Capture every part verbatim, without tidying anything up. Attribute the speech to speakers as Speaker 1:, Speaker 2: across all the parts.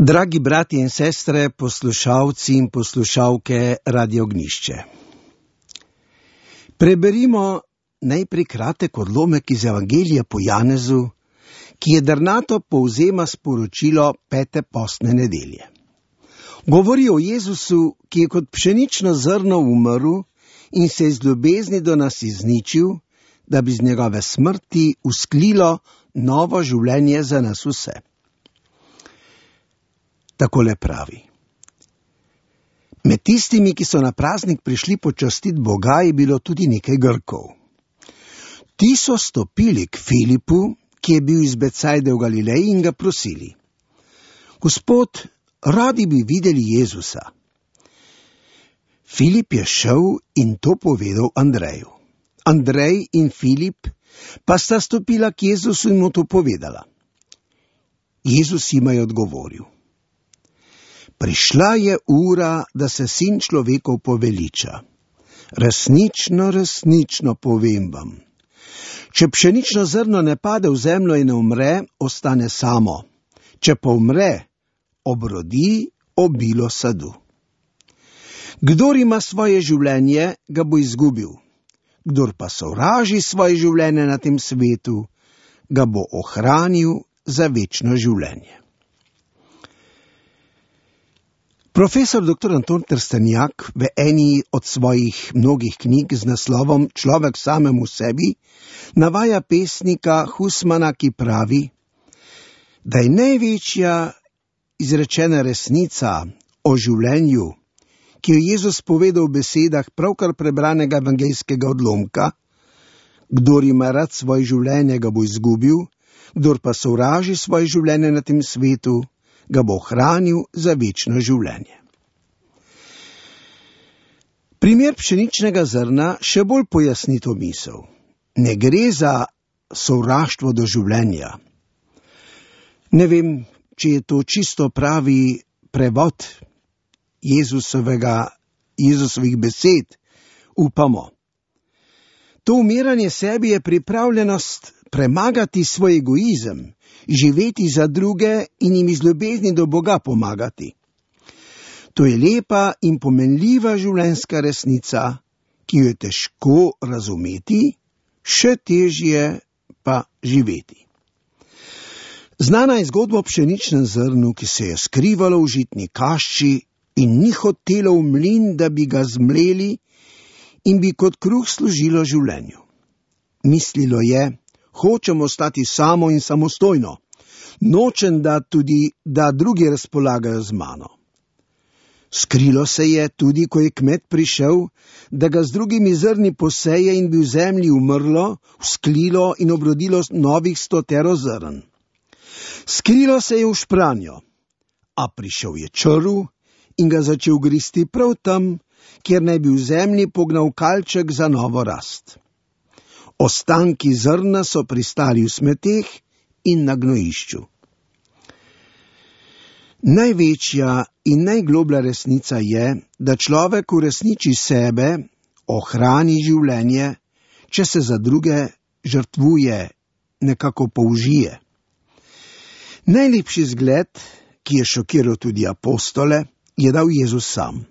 Speaker 1: Dragi brati in sestre, poslušalci in poslušalke Radio Ognjišče. Preberimo najprej kratek odlomek iz Evangelija po Janezu, ki je drnato povzema sporočilo pete postne nedelje. Govori o Jezusu, ki je kot pšenično zrno umrl in se iz ljubezni do nas izničil, da bi z njegove smrti usklilo novo življenje za nas vse. Takole pravi. Med tistimi, ki so na praznik prišli počastiti Boga, je bilo tudi nekaj Grkov. Ti so stopili k Filipu, ki je bil iz Becajde v Galileji, in ga prosili: Gospod, radi bi videli Jezusa. Filip je šel in to povedal Andreju. Andrej in Filip pa sta stopila k Jezusu in mu to povedala. Jezus jima je odgovoril: Prišla je ura, da se sin človekov poveliča. Resnično, resnično povem vam. Če pšenično zrno ne pade v zemljo in ne umre, ostane samo. Če pa umre, obrodi obilo sadu. Kdor ima svoje življenje, ga bo izgubil. Kdor pa sovraži svoje življenje na tem svetu, ga bo ohranil za večno življenje. Profesor doktor Anton Trstenjak v eni od svojih mnogih knjig z naslovom Človek samemu sebi navaja pesnika Husmana, ki pravi, da je največja izrečena resnica o življenju, ki jo Jezus povedal v besedah pravkar prebranega evangeljskega odlomka: Kdor ima rad svoje življenje, ga bo izgubil, kdor pa sovraži svoje življenje na tem svetu, ga bo ohranil za večno življenje. Primer pšeničnega zrna še bolj pojasni to misel. Ne gre za sovraštvo do življenja. Ne vem, če je to čisto pravi prevod Jezusovega, Jezusovih besed, upamo. To umiranje sebi je pripravljenost premagati svoj egoizem, živeti za druge in jim iz ljubezni do Boga pomagati. To je lepa in pomenljiva življenjska resnica, ki jo je težko razumeti, še težje pa živeti. Znana je zgodba o pšeničnem zrnu, ki se je skrivalo v žitni kašči in ni hotelo v mlin, da bi ga zmleli in bi kot kruh služilo življenju. Mislilo je: hočem ostati samo in samostojno. Nočem, da tudi, da drugi razpolagajo z mano. Skrilo se je tudi, ko je kmet prišel, da ga z drugimi zrni poseje in bi v zemlji umrlo, vzklilo in obrodilo novih stotero zrn. Skrilo se je v špranjo, a prišel je črv in ga začel gristi prav tam, kjer naj bi v zemlji pognal kalček za novo rast. Ostanki zrna so pristali v smeteh in na gnojišču. Največja in najgloblja resnica je, da človek uresniči sebe, ohrani življenje, če se za druge žrtvuje, nekako použije. Najlepši zgled, ki je šokiral tudi apostole, je dal Jezus sam.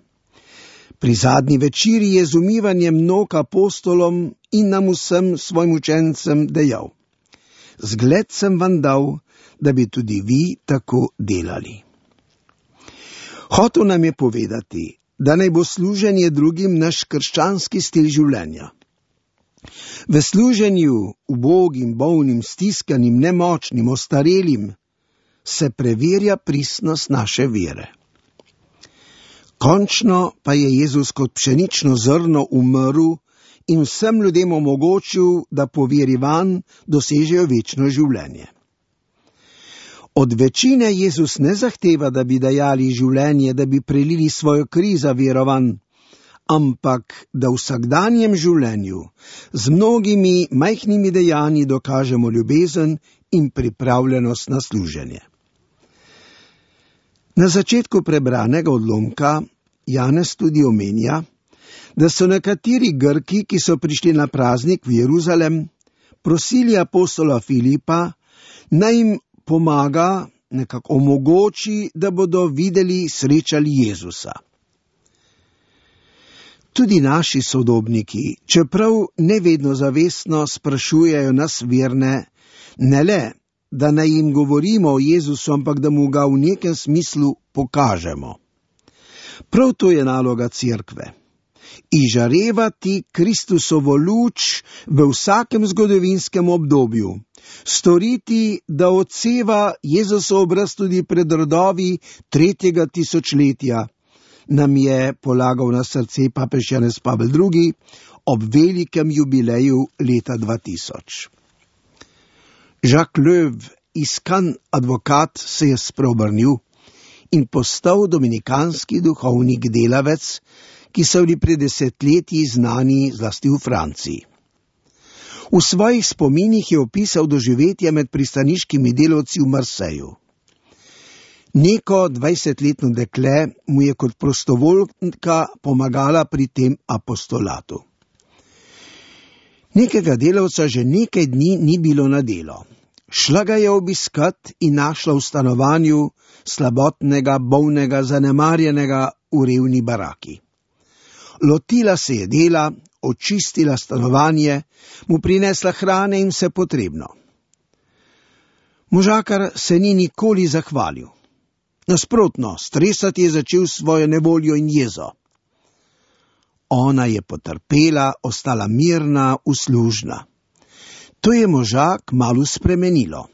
Speaker 1: Pri zadnji večeri je z umivanjem nog apostolom in nam vsem svojim učencem dejal: Zgled sem vam dal, da bi tudi vi tako delali. Hotel nam je povedati, da naj bo služenje drugim naš krščanski stil življenja. V služenju ubogim, bolnim, stiskanim, nemočnim, ostarelim se preverja pristnost naše vere. Končno pa je Jezus kot pšenično zrno umrl in vsem ljudem omogočil, da po veri vanj dosežejo večno življenje. Od večine Jezus ne zahteva, da bi dajali življenje, da bi prelili svojo kri za vero vanj, ampak da v vsakdanjem življenju z mnogimi majhnimi dejanji dokažemo ljubezen in pripravljenost na služenje. Na začetku prebranega odlomka Janez tudi omenja, da so nekateri Grki, ki so prišli na praznik v Jeruzalem, prosili apostola Filipa, naj jim pomaga nekako omogoči, da bodo videli, srečali Jezusa. Tudi naši sodobniki, čeprav ne vedno zavestno, sprašujejo nas verne, ne le, da naj jim govorimo o Jezusu, ampak da mu ga v nekem smislu pokažemo. Prav to je naloga cerkve. Izžarevati Kristusovo luč v vsakem zgodovinskem obdobju, storiti, da odseva Jezusov obraz tudi pred rodovi tretjega tisočletja, nam je polagal na srce papež Janez Pavel drugi ob velikem jubileju leta dva tisoč. Jacques Löw, iskan advokat, se je spreobrnil in postal dominikanski duhovnik delavec, ki so bili pred desetletji znani zlasti v Franciji. V svojih spominih je opisal doživetje med pristaniškimi delavci v Marseju. Neko dvajsetletno dekle mu je kot prostovoljka pomagala pri tem apostolatu. Nekega delavca že nekaj dni ni bilo na delo. Šla ga je obiskat in našla v stanovanju slabotnega, bolnega, zanemarjenega v revni baraki. Lotila se je dela, očistila stanovanje, mu prinesla hrane in vse potrebno. Možakar se ni nikoli zahvalil. Nasprotno, stresati je začel svojo nevoljo in jezo. Ona je potrpela, ostala mirna, uslužna. To je možak malo spremenilo.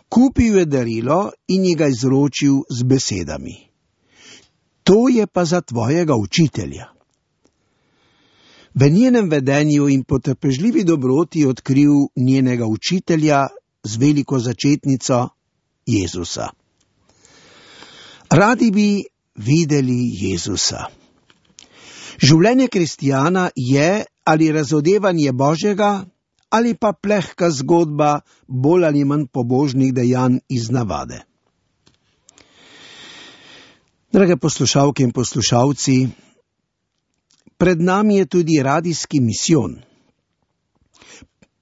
Speaker 1: Kupil je darilo in ji ga izročil z besedami: to je pa za tvojega učitelja. V njenem vedenju in potrpežljivi dobroti je odkril njenega učitelja z veliko začetnico Jezusa. Radi bi videli Jezusa. Življenje kristijana je ali razodevanje Božjega, ali pa plehka zgodba bolj ali manj pobožnih dejanj iz navade. Drage poslušalke in poslušalci, pred nami je tudi radijski misijon.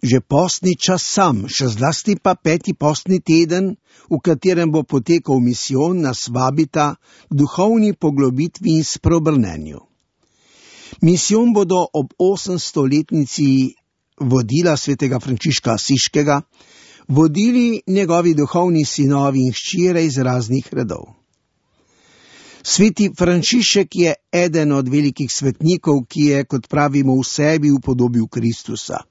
Speaker 1: Že postni čas sam, še zlasti pa peti postni teden, v katerem bo potekal misijon, nas vabita k duhovni poglobitvi in spreobrnenju. Misijon bodo ob osemstoletnici vodila svetega Frančiška Asiškega, vodili njegovi duhovni sinovi in hčere iz raznih redov. Sveti Frančišek je eden od velikih svetnikov, ki je, kot pravimo, v sebi upodobil Kristusa.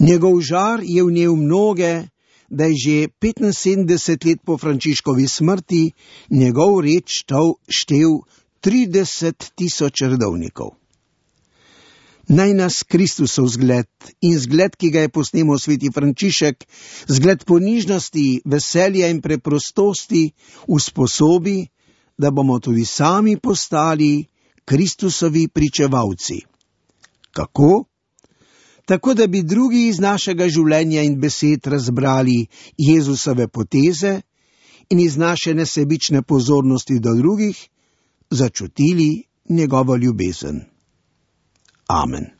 Speaker 1: Njegov žar je vnel mnoge, da je že petinsedemdeset let po Frančiškovi smrti njegov red štel trideset tisoč redovnikov. Naj nas Kristusov zgled in zgled, ki ga je posnemal sveti Frančišek, zgled ponižnosti, veselja in preprostosti, usposobi, da bomo tudi sami postali Kristusovi pričevalci. Kako? Tako, da bi drugi iz našega življenja in besed razbrali Jezusove poteze in iz naše nesebične pozornosti do drugih začutili njegovo ljubezen. Amen.